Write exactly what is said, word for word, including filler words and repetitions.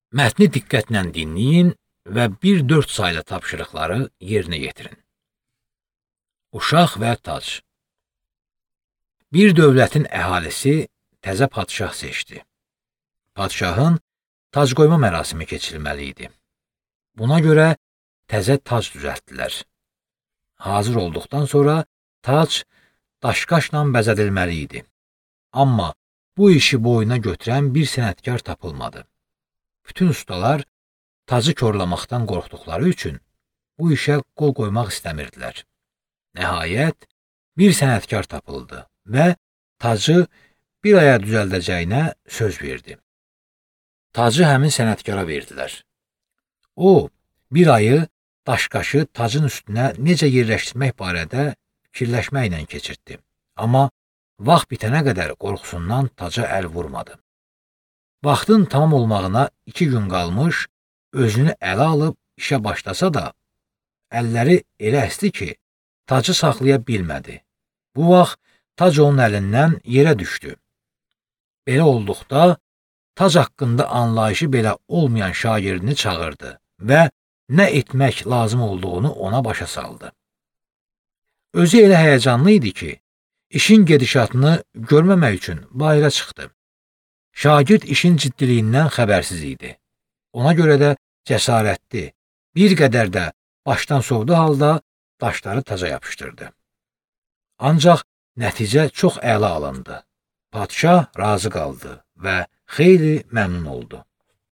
Mətni diqqətlə dinləyin və bir dörd saylı tapşırıqları yerinə yetirin. Uşaq və tac. Bir dövlətin əhalisi təzə padşah seçdi. Padşahın tac qoyma mərasimi keçirilməli idi. Buna görə təzə tac düzəltdilər. Hazır olduqdan sonra tac daşqaşla bəzədilməli idi. Amma bu işi boyuna götürən bir sənətkar tapılmadı. Bütün ustalar tacı korlamaqdan qorxduqları üçün bu işə qol qoymaq istəmirdilər. Nəhayət, bir sənətkar tapıldı və tacı bir aya düzəldəcəyinə söz verdi. Tacı həmin sənətkara verdilər. O, bir ayı daşqaşı tacın üstünə necə yerləşdirmək barədə fikirləşməklə keçirtdi. Amma vaxt bitənə qədər qorxusundan taca əl vurmadı. Vaxtın tamam olmağına iki gün qalmış, özünü ələ alıb işə başlasa da, əlləri elə əsdi ki, tacı saxlaya bilmədi. Bu vaxt tac onun əlindən yerə düşdü. Belə olduqda, tac haqqında anlayışı belə olmayan şagirdini çağırdı və nə etmək lazım olduğunu ona başa saldı. Özü elə həyəcanlı idi ki, işin gedişatını görməmək üçün bayıra çıxdı. Şagird işin ciddiliyindən xəbərsiz idi. Ona görə də cəsarətli, bir qədər də başdan sovdu halda daşları taca yapışdırdı. Ancaq nəticə çox əla alındı. Padşah razı qaldı və xeyli məmnun oldu.